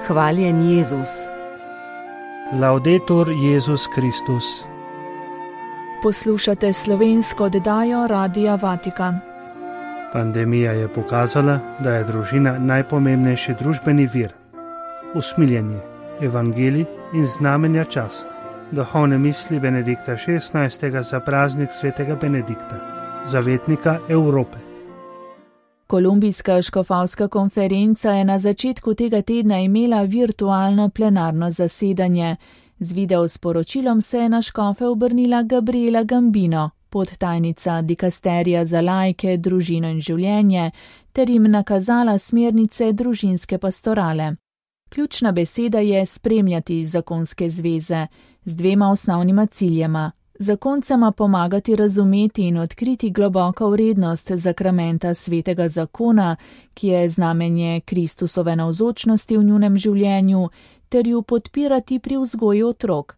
Hvaljen Jezus. Laudetur Jezus Kristus. Poslušate slovensko oddajo Radia Vatikan. Pandemija je pokazala, da je družina najpomembnejši družbeni vir. Usmiljenje, evangelij in znamenja časa. Duhovne misli Benedikta XVI. Za praznik svetega Benedikta, zavetnika Evrope. Kolumbijska škofovska konferenca je na začetku tega tedna imela virtualno plenarno zasedanje. Z video sporočilom se je na škofe obrnila Gabriela Gambino, podtajnica dikasterija za laike, družino in življenje, ter jim nakazala smernice družinske pastorale. Ključna beseda je spremljati zakonske zveze z dvema osnovnima ciljema. Zakoncema pomagati razumeti in odkriti globoko vrednost zakramenta svetega zakona, ki je znamenje Kristusove navzočnosti v njunem življenju, ter ju podpirati pri vzgoji otrok.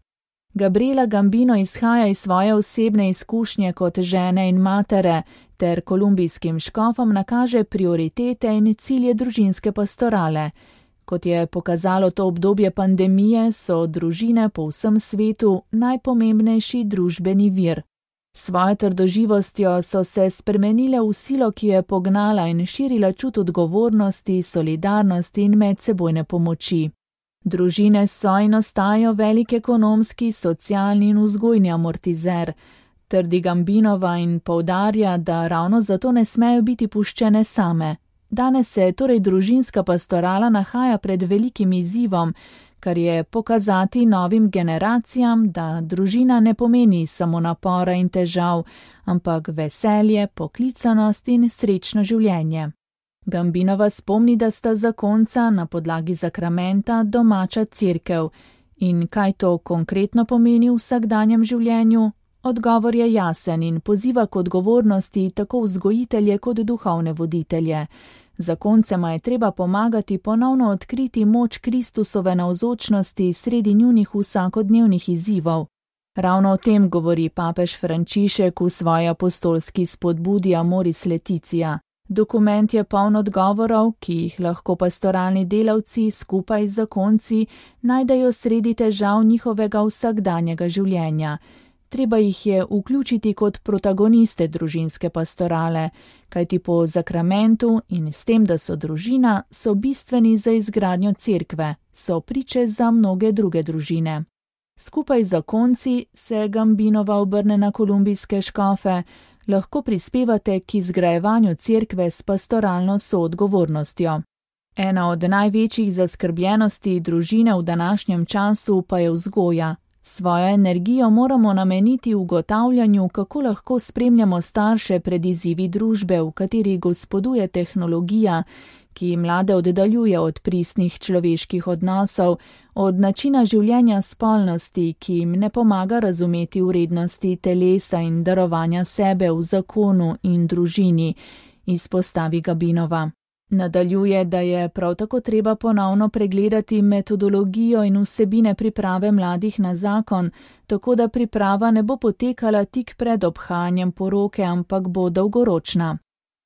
Gabriela Gambino izhaja iz svoje osebne izkušnje kot žene in matere, ter kolumbijskim škofom nakaže prioritete in cilje družinske pastorale. Kot je pokazalo to obdobje pandemije, so družine po vsem svetu najpomembnejši družbeni vir. Svojo trdoživostjo so se spremenile v silo, ki je pognala in širila čut odgovornosti, solidarnosti in medsebojne pomoči. Družine so in ostajajo velik ekonomski, socialni in vzgojni amortizer. Trdi Gambinova in poudarja, da ravno zato ne smejo biti puščene same. Danes se torej družinska pastorala nahaja pred velikim izzivom, kar je pokazati novim generacijam, da družina ne pomeni samo napora in težav, ampak veselje, poklicanost in srečno življenje. Gambinova spomni, da sta zakonca na podlagi zakramenta domača cerkev. In kaj to konkretno pomeni v vsakdanjem življenju? Odgovor je jasen in poziva k odgovornosti tako vzgojitelje kot duhovne voditelje. Zakoncema je treba pomagati ponovno odkriti moč Kristusove navzočnosti sredi njunih vsakodnevnih izzivov. Ravno o tem govori papež Frančišek v svoji apostolski spodbudi Amoris Laetitia. Dokument je poln odgovorov, ki jih lahko pastoralni delavci skupaj z zakonci najdejo sredi težav njihovega vsakdanjega življenja. Treba jih je vključiti kot protagoniste družinske pastorale, kajti po zakramentu in s tem, da so družina, so bistveni za izgradnjo cerkve, so priče za mnoge druge družine. Skupaj z zakonci se Gambinova obrne na kolumbijske škofe, lahko prispevate k izgrajevanju cerkve s pastoralno soodgovornostjo. Ena od največjih zaskrbljenosti družine v današnjem času pa je vzgoja. Svojo energijo moramo nameniti ugotavljanju, kako lahko spremljamo starše pred izzivi družbe, v kateri gospoduje tehnologija, ki mlade oddaljuje od pristnih človeških odnosov, od načina življenja spolnosti, ki jim ne pomaga razumeti vrednosti telesa in darovanja sebe v zakonu in družini, izpostavi Gambinova. Nadaljuje, da je prav tako treba ponovno pregledati metodologijo in vsebine priprave mladih na zakon, tako da priprava ne bo potekala tik pred obhajanjem poroke, ampak bo dolgoročna.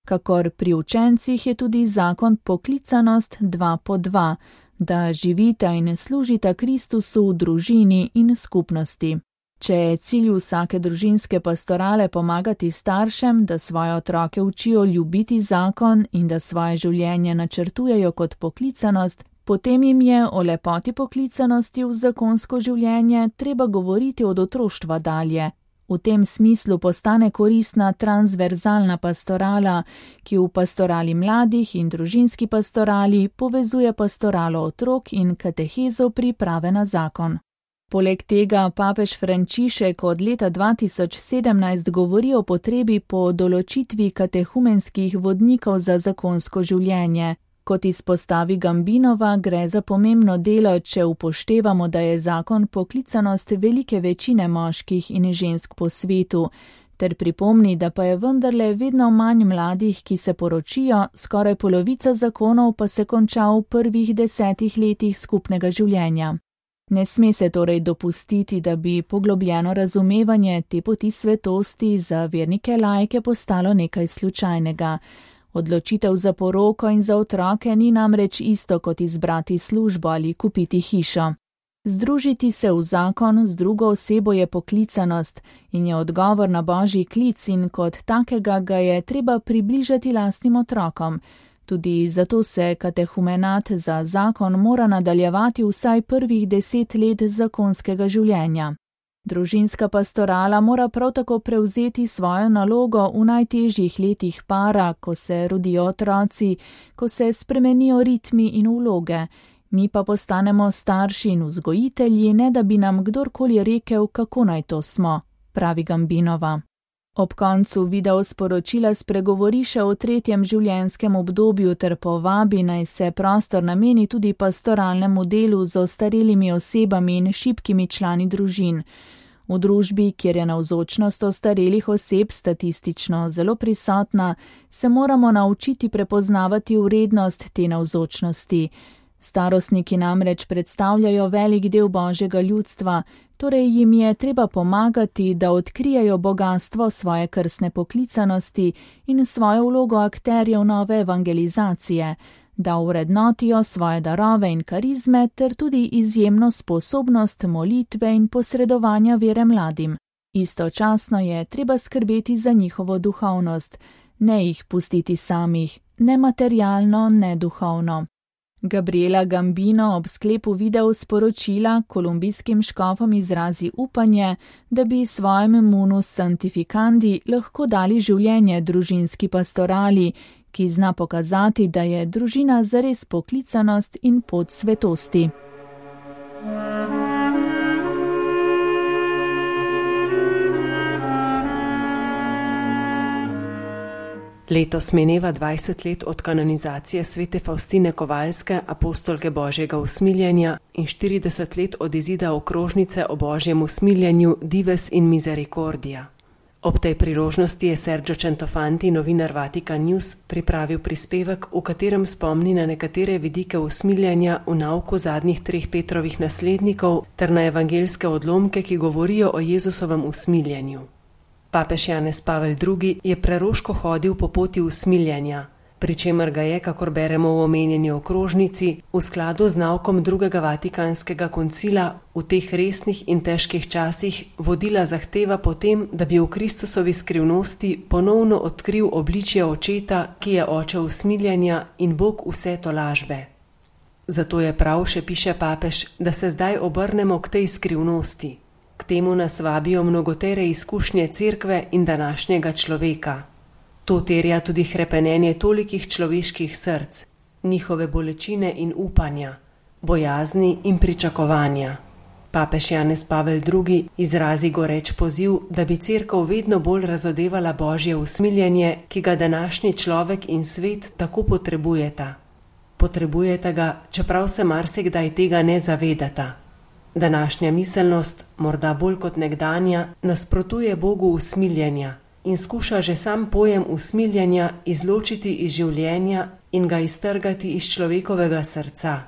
Kakor pri učencih je tudi zakon poklicanost 2x2, da živita in služita Kristusu v družini in skupnosti. Če je cilj vsake družinske pastorale pomagati staršem, da svoje otroke učijo ljubiti zakon in da svoje življenje načrtujejo kot poklicanost, potem jim je o lepoti poklicanosti v zakonsko življenje treba govoriti od otroštva dalje. V tem smislu postane koristna transverzalna pastorala, ki v pastorali mladih in družinski pastorali povezuje pastoralo otrok in katehezo priprave na zakon. Poleg tega papež Frančišek od leta 2017 govori o potrebi po določitvi katehumenskih vodnikov za zakonsko življenje. Kot izpostavi Gambinova, gre za pomembno delo, če upoštevamo, da je zakon poklicanost velike večine moških in žensk po svetu, ter pripomni, da pa je vendarle vedno manj mladih, ki se poročijo, skoraj polovica zakonov pa se konča v prvih 10 letih skupnega življenja. Ne sme se torej dopustiti, da bi poglobljeno razumevanje te poti svetosti za vernike laike postalo nekaj slučajnega. Odločitev za poroko in za otroke ni namreč isto kot izbrati službo ali kupiti hišo. Združiti se v zakon z drugo osebo je poklicanost in je odgovor na Božji klic in kot takega ga je treba približati lastnim otrokom. Tudi zato se katehumenat za zakon mora nadaljevati vsaj prvih 10 let zakonskega življenja. Družinska pastorala mora prav tako prevzeti svojo nalogo v najtežjih letih para, ko se rodijo otroci, ko se spremenijo ritmi in vloge. Mi pa postanemo starši in vzgojitelji, ne da bi nam kdorkoli rekel, kako naj to smo, pravi Gambinova. Ob koncu video sporočila spregovori še o 3. življenjskem obdobju ter povabi, naj se prostor nameni tudi pastoralnemu delu z ostarelimi osebami in šibkimi člani družin. V družbi, kjer je navzočnost ostarelih oseb statistično zelo prisotna, se moramo naučiti prepoznavati vrednost te navzočnosti. Starostniki namreč predstavljajo velik del Božjega ljudstva, torej jim je treba pomagati, da odkrijejo bogastvo svoje krstne poklicanosti in svojo vlogo akterjev nove evangelizacije, da vrednotijo svoje darove in karizme ter tudi izjemno sposobnost molitve in posredovanja vere mladim. Istočasno je treba skrbeti za njihovo duhovnost, ne jih pustiti samih, ne materialno, ne duhovno. Gabriela Gambino ob sklepu video sporočila kolumbijskim škofom izrazi upanje, da bi svojim munus sanctificandi lahko dali življenje družinski pastorali, ki zna pokazati, da je družina zares poklicanost in pot svetosti. Letos mineva 20 let od kanonizacije svete Faustine Kovalske, apostolke Božjega usmiljenja, in 40 let od izida okrožnice o Božjem usmiljenju Dives in Misericordia. Ob tej priložnosti je Sergio Centofanti, novinar Vatican News, pripravil prispevek, v katerem spomni na nekatere vidike usmiljenja v nauku zadnjih 3 Petrovih naslednikov ter na evangeljske odlomke, ki govorijo o Jezusovem usmiljenju. Papež Janez Pavel II. Je preroško hodil po poti usmiljenja, pri čemer ga je, kakor beremo v omenjeni okrožnici, v skladu z naukom 2. Vatikanskega koncila v teh resnih in težkih časih vodila zahteva potem, da bi v Kristusovi skrivnosti ponovno odkril obličje očeta, ki je oče usmiljenja in Bog vse tolažbe. Zato je prav, še piše papež, da se zdaj obrnemo k tej skrivnosti. K temu nas vabijo mnogotere izkušnje cerkve in današnjega človeka. To terja tudi hrepenenje tolikih človeških src, njihove bolečine in upanja, bojazni in pričakovanja. Papež Janez Pavel II. Izrazi goreč poziv, da bi cerkev vedno bolj razodevala Božje usmiljenje, ki ga današnji človek in svet tako potrebujeta. Potrebujeta ga, čeprav se marsikdaj tega ne zavedata. Današnja miselnost, morda bolj kot nekdanja, nasprotuje Bogu usmiljenja in skuša že sam pojem usmiljenja izločiti iz življenja in ga iztrgati iz človekovega srca.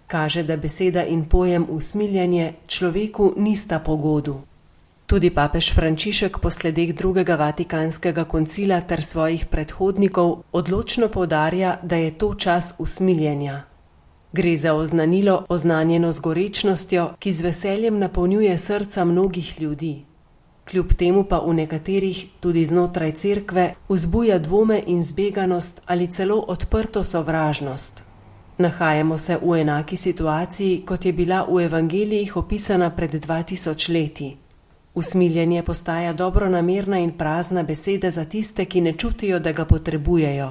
Kaže, da beseda in pojem usmiljenje človeku nista po godu. Tudi papež Frančišek po sledeh 2. Vatikanskega koncila ter svojih predhodnikov odločno poudarja, da je to čas usmiljenja. Gre za oznanilo oznanjeno z gorečnostjo, ki z veseljem napolnjuje srca mnogih ljudi. Kljub temu pa v nekaterih, tudi znotraj cerkve, vzbuja dvome in zbeganost ali celo odprto sovražnost. Nahajamo se v enaki situaciji, kot je bila v evangelijih opisana pred 2000 leti. Usmiljenje postaja dobronamerna in prazna beseda za tiste, ki ne čutijo, da ga potrebujejo.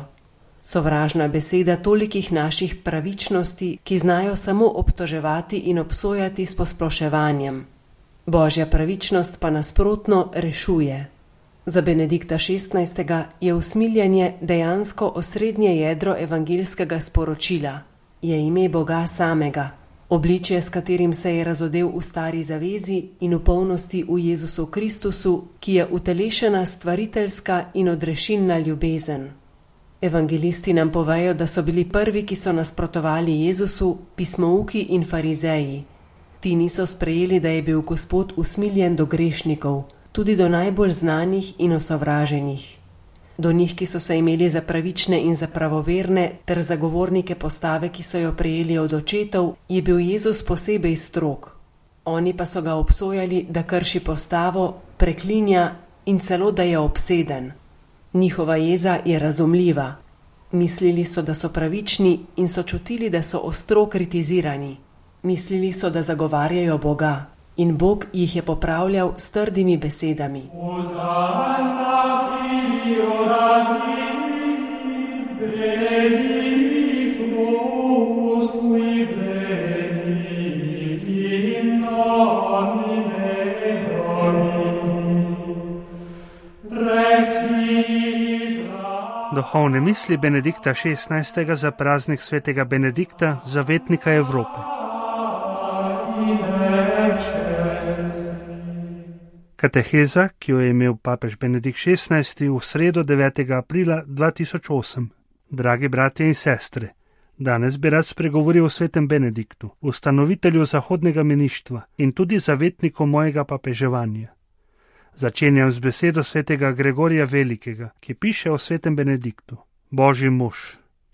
Sovražna beseda tolikih naših pravičnosti, ki znajo samo obtoževati in obsojati s posploševanjem. Božja pravičnost pa nasprotno rešuje. Za Benedikta XVI. Je usmiljenje dejansko osrednje jedro evangeljskega sporočila. Je ime Boga samega, obličje, s katerim se je razodel v stari zavezi in v polnosti v Jezusu Kristusu, ki je utelešena stvariteljska in odrešilna ljubezen. Evangelisti nam povejo, da so bili prvi, ki so nasprotovali Jezusu, pismouki in farizeji. Ti niso sprejeli, da je bil Gospod usmiljen do grešnikov, tudi do najbolj znanih in osovraženih. Do njih, ki so se imeli za pravične in za pravoverne, ter zagovornike postave, ki so jo prejeli od očetov, je bil Jezus posebej strog. Oni pa so ga obsojali, da krši postavo, preklinja in celo, da je obseden. Njihova jeza je razumljiva. Mislili so, da so pravični in so čutili, da so ostro kritizirani. Mislili so, da zagovarjajo Boga in Bog jih je popravljal s trdimi besedami. Duhovne misli Benedikta XVI. Za praznik svetega Benedikta, zavetnika Evrope. Kateheza, ki jo je imel papež Benedikt XVI. V sredo 9. aprila 2008. Dragi bratje in sestre, danes bi rad spregovoril o svetem Benediktu, ustanovitelju zahodnega meništva in tudi zavetniku mojega papeževanja. Začenjam z besedo svetega Gregorija Velikega, ki piše o svetem Benediktu. Božji mož,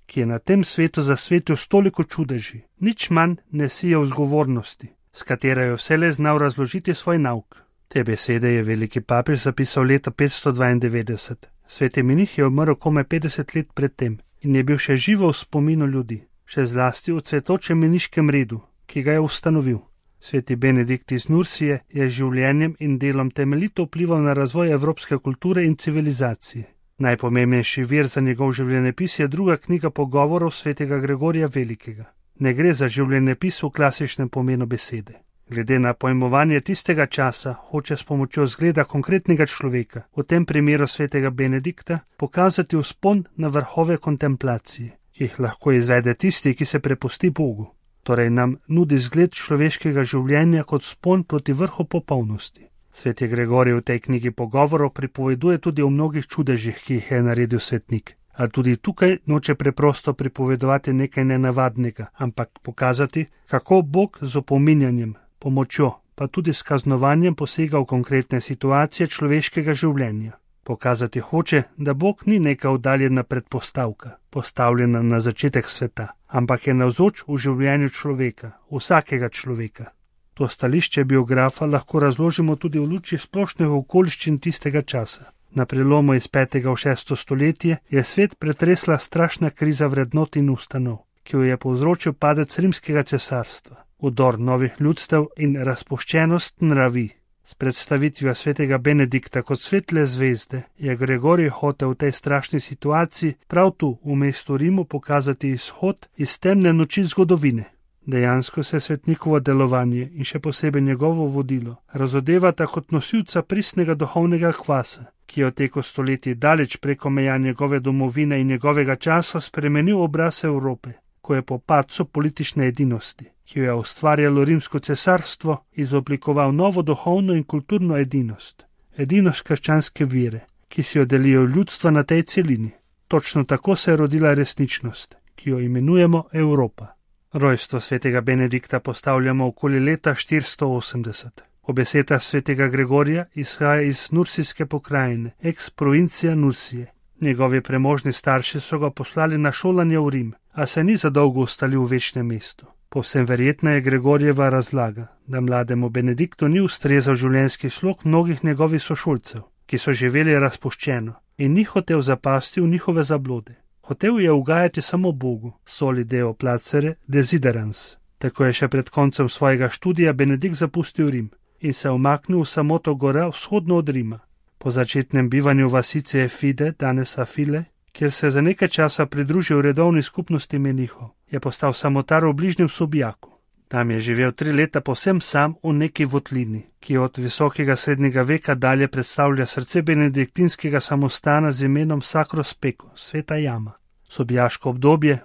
ki je na tem svetu zasvetil stoliko čudeži, nič manj ne sije vzgovornosti, s katero je vselej znal razložiti svoj nauk. Te besede je veliki papež zapisal leta 592. Sveti menih je umrl komaj 50 let pred tem in je bil še živo v spominu ljudi, še zlasti v cvetočem meniškem redu, ki ga je ustanovil. Sveti Benedikt iz Nursije je z življenjem in delom temeljito vplival na razvoj evropske kulture in civilizacije. Najpomembnejši vir za njegov življenjepis je druga knjiga pogovorov svetega Gregorija Velikega. Ne gre za življenjepis v klasičnem pomenu besede. Glede na pojmovanje tistega časa, hoče s pomočjo zgleda konkretnega človeka, v tem primeru svetega Benedikta, pokazati vzpon na vrhove kontemplacije, ki jih lahko izvede tisti, ki se prepusti Bogu. Torej nam nudi zgled človeškega življenja kot vzpon proti vrhu popolnosti. Sveti Gregorij v tej knjigi pogovorov pripoveduje tudi o mnogih čudežih, ki jih je naredil svetnik. A tudi tukaj noče preprosto pripovedovati nekaj nenavadnega, ampak pokazati, kako Bog z opominjanjem, pomočjo, pa tudi s kaznovanjem posega v konkretne situacije človeškega življenja. Pokazati hoče, da Bog ni neka oddaljena predpostavka, postavljena na začetek sveta, ampak je navzoč v življenju človeka, vsakega človeka. To stališče biografa lahko razložimo tudi v luči splošnih okoliščin tistega časa. Na prelomu iz 5. v 6. stoletje je svet pretresla strašna kriza vrednot in ustanov, ki jo je povzročil padec rimskega cesarstva, vdor novih ljudstev in razpuščenost nravi. S predstavitvijo svetega Benedikta kot svetle zvezde je Gregorij hotel v tej strašni situaciji prav tu v mestu Rimu pokazati izhod iz temne noči zgodovine. Dejansko se svetnikovo delovanje in še posebej njegovo vodilo razodevata kot nosilca pristnega duhovnega kvasa, ki je v teku stoletij daleč preko meja njegove domovine in njegovega časa spremenil obraz Evrope, ko je po padcu politične edinosti, ki jo je ustvarjalo rimsko cesarstvo, izoblikoval novo duhovno in kulturno edinost. Edinost krščanske vere, ki si jo delijo ljudstva na tej celini. Točno tako se je rodila resničnost, ki jo imenujemo Evropa. Rojstvo svetega Benedikta postavljamo okoli leta 480. Obeseda svetega Gregorija izhaja iz Nursijske pokrajine, ex provincija Nursije. Njegovi premožni starši so ga poslali na šolanje v Rim, a se ni zadolgo ustalil v večnem mestu. Povsem verjetna je Gregorjeva razlaga, da mlademu Benediktu ni ustrezal življenjski slog mnogih njegovih sošolcev, ki so živeli razpuščeno in ni hotel zapasti v njihove zablode. Hotel je ugajati samo Bogu, soli deo placere desiderans. Tako je še pred koncem svojega študija Benedikt zapustil Rim in se umaknil v samoto gora vzhodno od Rima. Po začetnem bivanju vasice Fide, danes Afile, kjer se je za nekaj časa pridružil redovni skupnosti menihov, je postal samotar v bližnjem Subijaku. Tam je živel 3 leta povsem sam v neki votlini, ki od visokega srednjega veka dalje predstavlja srce benediktinskega samostana z imenom Sacro Speco, sveta jama. Subijaško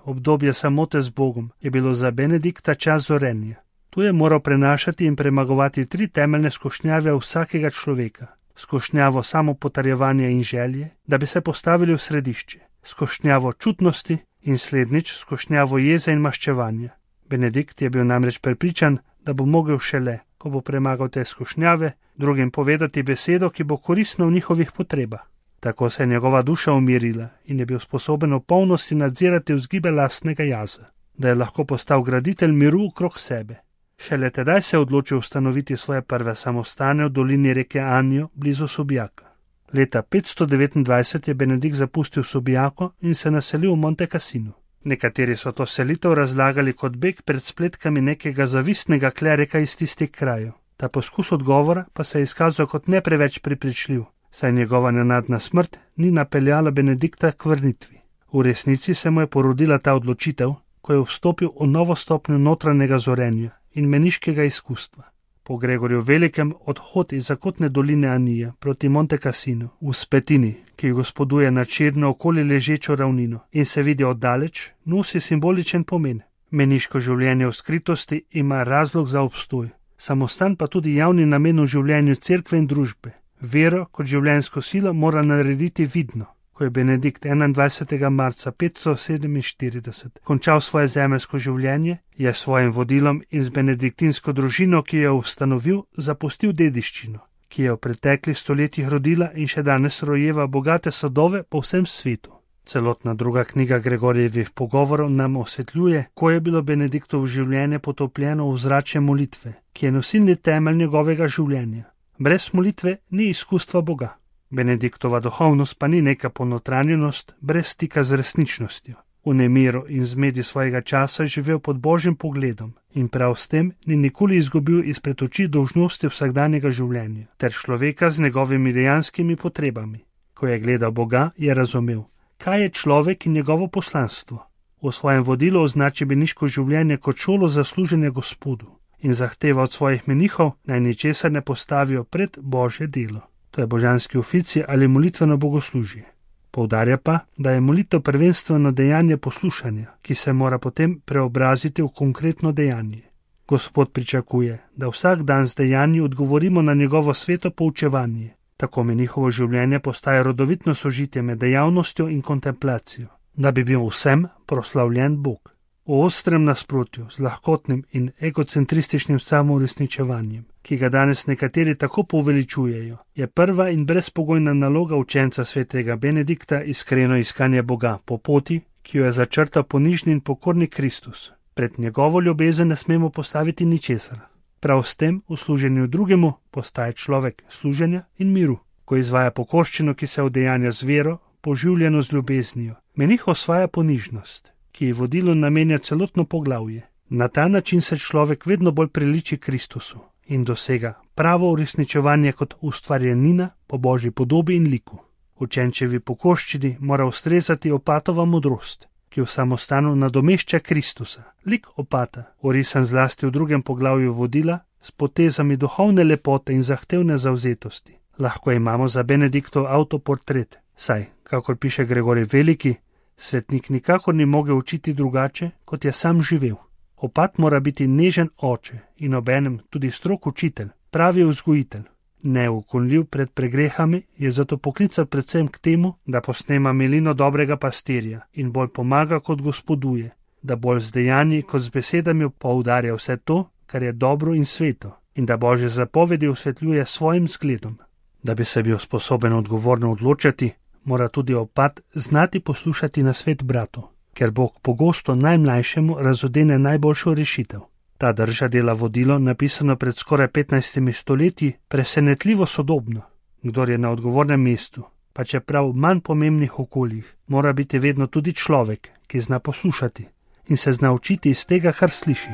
obdobje samote z Bogom, je bilo za Benedikta čas zorenja. Tu je moral prenašati in premagovati 3 temeljne skušnjave vsakega človeka. Skušnjavo samopotrjevanja in želje, da bi se postavili v središče, skušnjavo čutnosti in slednjič skušnjavo jeze in maščevanja. Benedikt je bil namreč prepričan, da bo mogel šele, ko bo premagal te skušnjave, drugim povedati besedo, ki bo koristna v njihovih potrebah. Tako se je njegova duša umirila in je bil sposoben v polnosti nadzirati vzgibe lastnega jaza, da je lahko postal graditelj miru okrog sebe. Šele tedaj se je odločil ustanoviti svoje prve samostane v dolini reke Anjo blizu Subijaka. Leta 529 je Benedikt zapustil Subijako in se naselil v Monte Cassino. Nekateri so to selitev razlagali kot beg pred spletkami nekega zavistnega klerika iz tistih krajev. Ta poskus odgovora pa se je izkazal kot ne preveč prepričljiv, saj njegova nenadna smrt ni napeljala Benedikta k vrnitvi. V resnici se mu je porodila ta odločitev, ko je vstopil v novo stopnjo notranjega zorenja in meniškega izkustva. Po Gregorju Velikem odhod iz zakotne doline Anije proti Monte Cassino v Spetini, ki gospoduje nad širno okoli ležečo ravnino in se vidi oddaleč, nosi simboličen pomen. Meniško življenje v skritosti ima razlog za obstoj, samostan pa tudi javni namen v življenju cerkve in družbe. Vero kot življenjsko silo mora narediti vidno. Ko je Benedikt 21. marca 547 končal svoje zemeljsko življenje, je s svojim vodilom in z benediktinsko družino, ki jo ustanovil, zapustil dediščino, ki je v preteklih stoletjih rodila in še danes rojeva bogate sadove po vsem svetu. Celotna druga knjiga Gregorjevih pogovorov nam osvetljuje, ko je bilo Benediktovo življenje potopljeno v zračje molitve, ki je nosilni temelj njegovega življenja. Brez molitve ni izkustva Boga. Benediktova duhovnost pa ni neka ponotranjenost brez stika z resničnostjo. V nemiru in zmedi svojega časa je živel pod Božjim pogledom in prav s tem ni nikoli izgubil izpred oči dolžnosti vsakdanjega življenja ter človeka z njegovimi dejanskimi potrebami. Ko je gledal Boga, je razumel, kaj je človek in njegovo poslanstvo. V svojem vodilu označi meniško življenje kot šolo za služenje Gospodu in zahteva od svojih menihov, naj ničesar ne postavijo pred Božje delo. To je božanski ofici ali molitveno bogoslužje. Poudarja pa, da je molitev prvenstveno dejanje poslušanja, ki se mora potem preobraziti v konkretno dejanje. Gospod pričakuje, da vsak dan z dejanji odgovorimo na njegovo sveto poučevanje. Tako menihovo življenje postaje rodovitno sožitje med dejavnostjo in kontemplacijo, da bi bil vsem proslavljen Bog. V ostrem nasprotju z lahkotnim in egocentrističnim samouresničevanjem, ki ga danes nekateri tako poveličujejo, je prva in brezpogojna naloga učenca svetega Benedikta iskreno iskanje Boga po poti, ki jo je začrtal ponižni in pokorni Kristus. Pred njegovo ljubezen ne smemo postaviti ničesar. Prav s tem v služenju drugemu postaje človek služenja in miru, ko izvaja pokorščino, ki se udejanja z vero, poživljeno z ljubeznijo. Menih osvaja ponižnost, ki ji vodilo namenja celotno poglavje. Na ta način se človek vedno bolj priliči Kristusu in dosega pravo uresničevanje kot ustvarjenina po Božji podobi in liku. Učenčevi pokorščini mora ustrezati opatova modrost, ki v samostanu nadomešča Kristusa. Lik opata, orisan zlasti v drugem poglavju vodila, s potezami duhovne lepote in zahtevne zavzetosti. Lahko imamo za Benediktov avtoportret, saj, kakor piše Gregorij Veliki, svetnik nikakor ni mogel učiti drugače, kot je sam živel. Opat mora biti nežen oče in obenem tudi strog učitelj, pravi vzgojitelj. Neukonljiv pred pregrehami je zato poklican predvsem k temu, da posnema milino dobrega pastirja in bolj pomaga kot gospoduje, da bolj z dejanji kot z besedami poudarja vse to, kar je dobro in sveto, in da Božje zapovedi osvetljuje svojim zgledom. Da bi se bil sposoben odgovorno odločati, mora tudi opat znati poslušati nasvet bratov, ker Bog pogosto najmlajšemu razodene najboljšo rešitev. Ta drža dela vodilo, napisano pred skoraj 15 stoletji, presenetljivo sodobno. Kdor je na odgovornem mestu, pa čeprav v manj pomembnih okoljih, mora biti vedno tudi človek, ki zna poslušati in se zna učiti iz tega, kar sliši.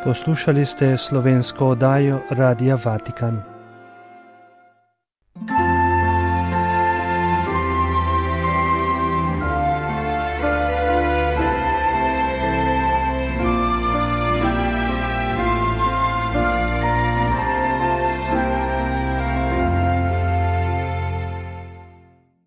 Poslušali ste slovensko oddajo Radia Vatikan.